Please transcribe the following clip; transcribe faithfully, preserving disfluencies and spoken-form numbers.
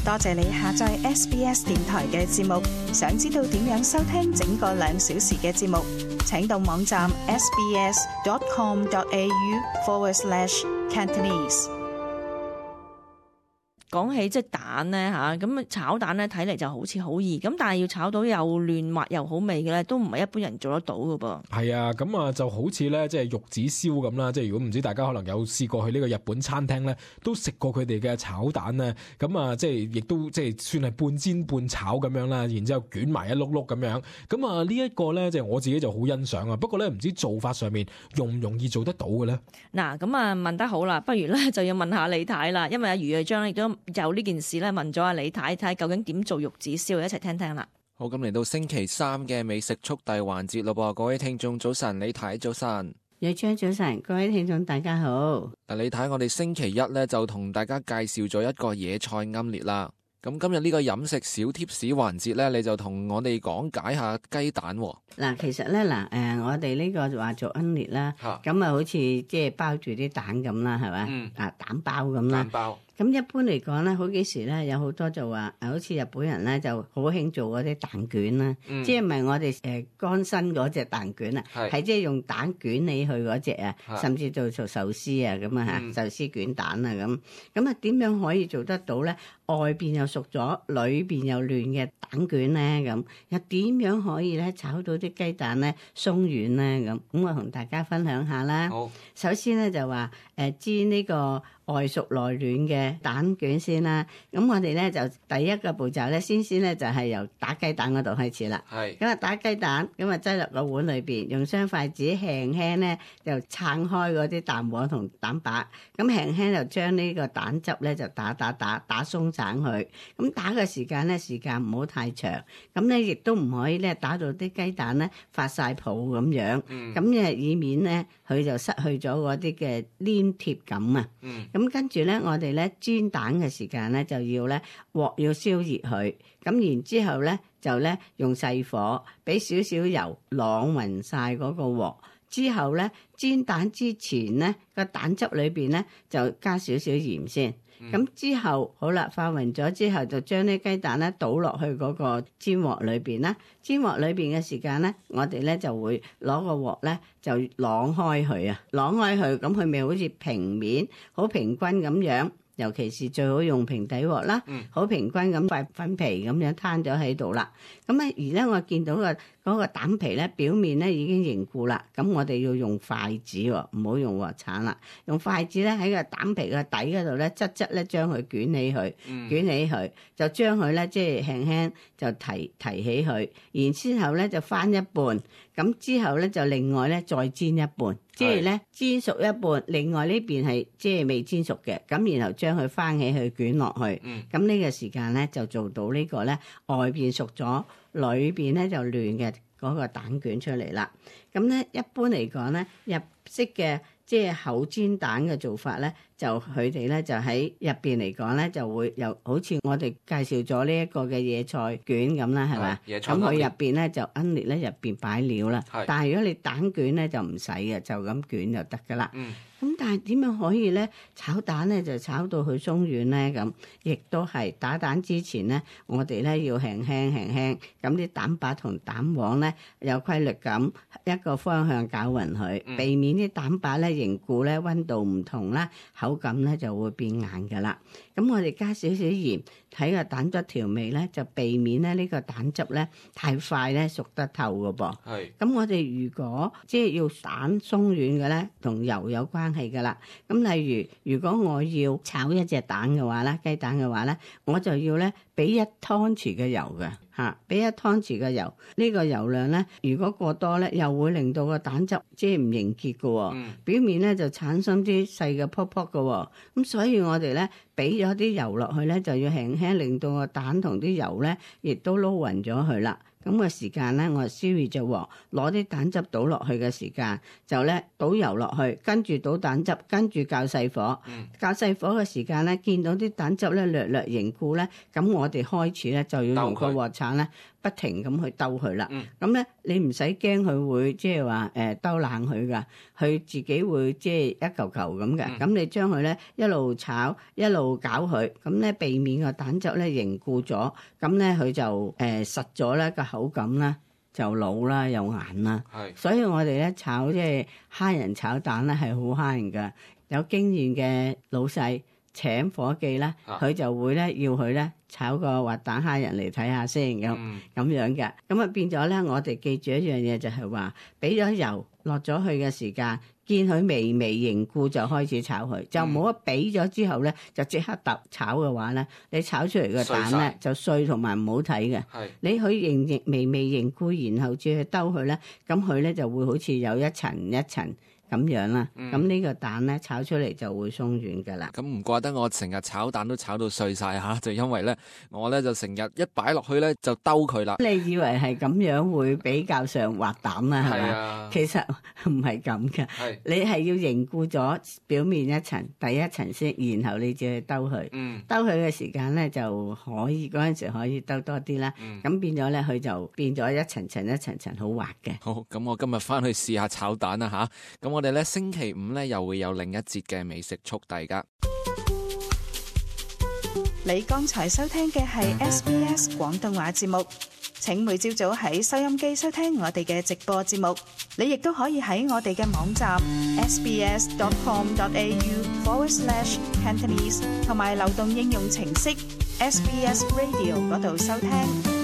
多謝你下載 S B S 電台嘅節目。想知道點樣收聽整個兩小時嘅節目，請到網站 sbs.com.au forward slash Cantonese。講起即係蛋咧嚇，咁炒蛋咧睇嚟就好似好易，咁但係要炒到又嫩滑又好味嘅咧，都唔係一般人做得到嘅噃。係啊，咁啊就好似咧即係玉子燒咁啦，即係如果唔知大家可能有試過去呢個日本餐廳咧，都食過佢哋嘅炒蛋咧，咁啊即係亦都即係算係半煎半炒咁樣啦，然之後捲埋一碌碌咁樣，咁啊呢一個咧即係我自己就好欣賞啊，不過咧唔知做法上面容唔容易做得到嘅咧？嗱，咁啊問得好啦，不如咧就要問下李太啦，因為阿余瑞章亦都就呢件事咧問咗阿李太，睇究竟點做玉子燒，一齊聽聽啦。好，咁嚟到星期三嘅美食速遞環節咯噃，各位聽眾早晨，李太早晨，瑞章早晨，各位聽眾大家好。嗱，李太，我哋星期一咧就同大家介紹咗一個野菜奄列啦。咁今日呢個飲食小貼士環節咧，你就同我哋講解下雞蛋。嗱，其實咧嗱，誒，我哋呢個話做奄列啦，咁啊好似即係包住啲蛋咁啦，係咪？嗯。啊，蛋包咁啦。蛋包。咁一般嚟講咧，好幾時咧有好多就話，誒，好似日本人咧就好興做嗰啲蛋卷啦，嗯、即係唔係我哋誒乾身嗰隻蛋卷啊，係即係用蛋捲起去嗰隻啊，甚至做做壽司啊咁啊嚇，壽司卷蛋啊咁，咁啊點樣可以做得到咧？外邊又熟咗，裏邊又嫩嘅蛋卷咧咁，又點樣可以咧炒到啲雞蛋咧鬆軟咧咁？咁我同大家分享下啦。好，首先咧就話誒煎呢個外熟內軟嘅蛋卷先啦。咁我哋咧就第一個步驟咧，先先咧就係由打雞蛋嗰度開始啦。係。咁啊打雞蛋，咁啊擠落個碗裏邊，用雙筷子輕輕咧就撐開嗰啲蛋黃同蛋白，咁輕輕就將呢個蛋汁咧就打打打打鬆散佢。咁打嘅時間咧，時間唔好太長。咁咧亦都唔可以咧打到啲雞蛋咧發晒泡咁樣。咁誒、嗯、以免咧佢就失去咗嗰啲嘅黏貼感啊。嗯。咁跟住咧，我哋咧煎蛋嘅時間咧就要咧鑊要燒熱佢，咁然之後咧就咧用細火俾少少油啷勻晒嗰個鑊，之後咧煎蛋之前咧個蛋汁裏邊咧就加少少鹽先。咁、嗯、之後好啦，化勻咗之後就將啲雞蛋咧倒落去嗰個煎鑊裏邊啦。煎鑊裏邊嘅時間咧，我哋咧就會攞個鑊咧就啷開佢啊，啷開佢，咁佢咪好似平面好平均咁樣。尤其是最好用平底鑊啦，好、嗯、平均咁塊粉皮咁樣攤咗喺度啦。咁咧而咧我見到個嗰個蛋皮咧表面咧已經凝固啦，咁我哋要用筷子喎，唔好用鑊鏟啦。用筷子咧喺個蛋皮嘅底嗰度咧，側側咧將佢捲起佢，嗯、捲起佢就將佢咧即係輕輕就提提起佢，然之後咧就翻一半，咁之後咧就另外咧再煎一半。即係咧煎熟一半，另外呢邊係即係未煎熟嘅，咁然後將佢翻起去捲落去，咁呢、嗯、個時間咧就做到呢個咧外邊熟咗，裏邊咧就嫩嘅嗰個蛋卷出嚟啦。咁咧一般嚟講咧，日式嘅即係厚煎蛋嘅做法咧，就佢哋咧就喺入邊嚟講咧，就會有好似我哋介紹咗呢一個嘅野菜卷咁啦，係咪？咁佢入邊咧就奄列咧入邊擺料啦。是但係如果你蛋卷咧就唔使嘅，就咁捲就得噶啦。嗯咁但係點樣可以咧炒蛋咧就炒到佢鬆軟咧？咁亦都係打蛋之前咧，我哋咧要輕輕輕輕咁啲蛋白同蛋黃咧有規律咁一個方向攪勻佢，嗯、避免啲蛋白咧凝固咧溫度唔同啦，口感咧就會變硬噶啦。咁我哋加少少鹽，睇個蛋汁調味咧，就避免咧呢個蛋汁咧太快咧熟得透噶噃。係。咁我哋如果即係要蛋鬆軟嘅咧，同油有關係噶啦。咁例如如果我要炒一隻蛋嘅話咧，雞蛋嘅話咧，我就要咧俾一湯匙嘅油嘅嚇，俾一湯匙嘅油。呢個油量咧，如果過多咧，又會令到個蛋汁即係唔凝結嘅喎。嗯。表面咧就產生啲細嘅泡泡嘅喎。咁所以我哋咧俾咗啲油落去咧，就要輕輕令到個蛋同啲油咧，亦都撈勻咗佢啦。咁個時間咧，我燒熱隻鑊，攞啲蛋汁倒落去嘅時間，就咧倒油落去，跟住倒蛋汁，跟住較細火。嗯。較細火嘅時間咧，見到啲蛋汁咧略略凝固咧，咁我哋開始咧就要用個鑊鏟咧不停咁去兜佢啦。咁咧、嗯、你唔使驚佢會即係話誒兜冷佢噶，佢自己會即係一嚿嚿咁嘅。咁、嗯、你將佢咧一路炒一路攪佢，咁咧避免個蛋汁咧凝固咗，咁咧佢就誒、呃、實咗咧個口感啦。就老啦又硬啦，是所以我哋咧炒即係蝦仁炒蛋咧係好蝦人噶。有經驗嘅老細請伙計咧，佢、啊、就會咧要佢咧炒個滑蛋蝦仁嚟睇下先咁咁、嗯、樣嘅。咁啊變咗咧，我哋記住一樣嘢就係話，俾咗油落咗去嘅時間，見佢微微凝固就開始炒佢，就唔好一俾咗之後咧就即刻揼炒嘅話咧，你炒出嚟嘅蛋咧了就碎同埋唔好睇嘅。是你佢凝凝微微凝固，然後至去兜佢咧，咁佢咧就會好似有一層一層咁樣啦。咁呢、嗯、個蛋咧炒出嚟就會鬆軟噶啦。咁唔怪得我成日炒蛋都炒到碎晒吓，就因為咧我咧就成日一擺落去咧就兜佢啦。你以為係咁樣會比較上滑蛋啦，係嘛？啊、其實唔係咁嘅。係你係要凝固咗表面一層，第一層先，然後你再去兜佢。嗯，兜佢嘅時間咧就可以嗰陣時可以兜多啲啦。嗯，咁變咗咧佢就變咗一層層一層層好滑嘅。好，咁我今日翻去試下炒蛋啦吓。咁我哋咧星期五咧又會有另一節嘅美食速遞噶。你剛才收聽嘅係 S B S 廣東話節目，請每朝早喺收音機收聽我哋嘅直播節目。你亦都可以喺我哋嘅網站 sbs.com.au forward slash Cantonese 同埋流動應用程式 S B S Radio 嗰度收聽。